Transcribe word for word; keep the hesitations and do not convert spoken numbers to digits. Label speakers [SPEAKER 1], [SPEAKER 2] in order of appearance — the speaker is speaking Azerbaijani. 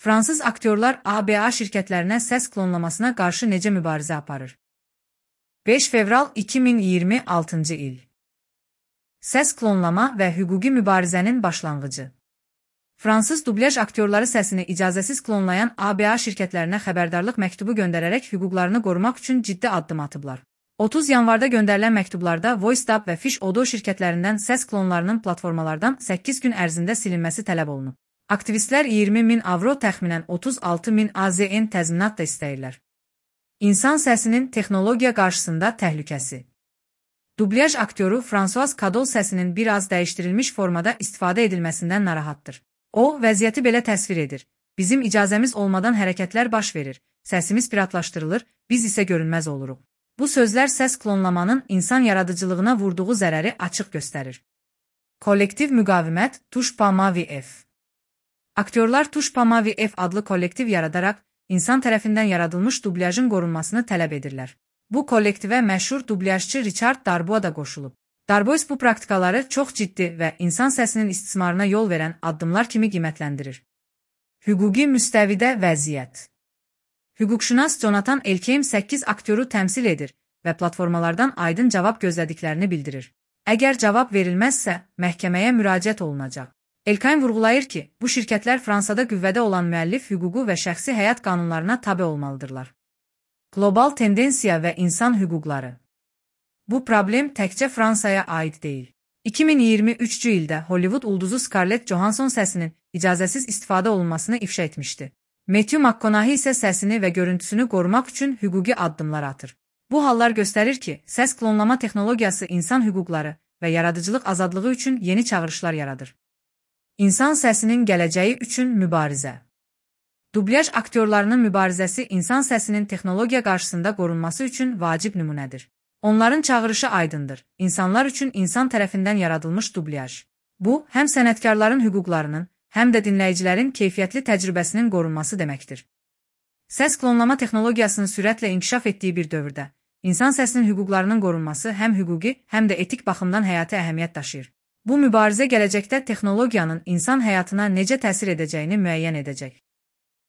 [SPEAKER 1] Fransız aktyorlar A B A şirkətlərinə səs klonlamasına qarşı necə mübarizə aparır? beş fevral iki min iyirmi altıncı il. Səs klonlama və hüquqi mübarizənin başlanğıcı. Fransız dublyaj aktyorları səsini icazəsiz klonlayan A B A şirkətlərinə xəbərdarlıq məktubu göndərərək hüquqlarını qorumaq üçün ciddi addım atıblar. otuz yanvarda göndərilən məktublarda VoiceDub və Fish Audio şirkətlərindən səs klonlarının platformalardan səkkiz gün ərzində silinməsi tələb olunub. Aktivistlər iyirmi min avro təxminən otuz altı min A Z N təzminat da istəyirlər. İnsan səsinin texnologiya qarşısında təhlükəsi. Dublyaj aktyoru François Cadol səsinin biraz dəyişdirilmiş formada istifadə edilməsindən narahatdır. O, vəziyyəti belə təsvir edir. Bizim icazəmiz olmadan hərəkətlər baş verir, səsimiz piratlaşdırılır, biz isə görünməz oluruq. Bu sözlər səs klonlamanın insan yaradıcılığına vurduğu zərəri açıq göstərir. Kollektiv müqavimət Tush.Mavi F. Aktyorlar Tush.Mavi F adlı kollektiv yaradaraq, insan tərəfindən yaradılmış dublyajın qorunmasını tələb edirlər. Bu kollektivə məşhur dublyajçı Richard Darbois da qoşulub. Darbois bu praktikaları çox ciddi və insan səsinin istismarına yol verən addımlar kimi qiymətləndirir. Hüquqi müstəvidə vəziyyət. Hüquqşünas Jonathan Elkeim səkkiz aktyoru təmsil edir və platformalardan aydın cavab gözlədiklərini bildirir. Əgər cavab verilməzsə, məhkəməyə müraciət olunacaq. Elkeim vurğulayır ki, bu şirkətlər Fransada qüvvədə olan müəllif hüququ və şəxsi həyat qanunlarına tabe olmalıdırlar. Qlobal tendensiya və insan hüquqları. Bu problem təkcə Fransaya aid deyil. iki min iyirmi üçüncü ildə Hollywood ulduzu Scarlett Johansson səsinin icazəsiz istifadə olunmasını ifşa etmişdi. Matthew McConaughey isə səsini və görüntüsünü qorumaq üçün hüquqi addımlar atır. Bu hallar göstərir ki, səs klonlama texnologiyası insan hüquqları və yaradıcılıq azadlığı üçün yeni çağırışlar yaradır. İnsan səsinin gələcəyi üçün mübarizə. Dublyaj aktyorlarının mübarizəsi insan səsinin texnologiya qarşısında qorunması üçün vacib nümunədir. Onların çağırışı aydındır. İnsanlar üçün insan tərəfindən yaradılmış dublyaj. Bu, həm sənətkarların hüquqlarının, həm də dinləyicilərin keyfiyyətli təcrübəsinin qorunması deməkdir. Səs klonlama texnologiyasının sürətlə inkişaf etdiyi bir dövrdə, insan səsinin hüquqlarının qorunması həm hüquqi, həm də etik baxımdan həyati əhəmiyyət daşıyır. Bu mübarizə gələcəkdə texnologiyanın insan həyatına necə təsir edəcəyini müəyyən edəcək.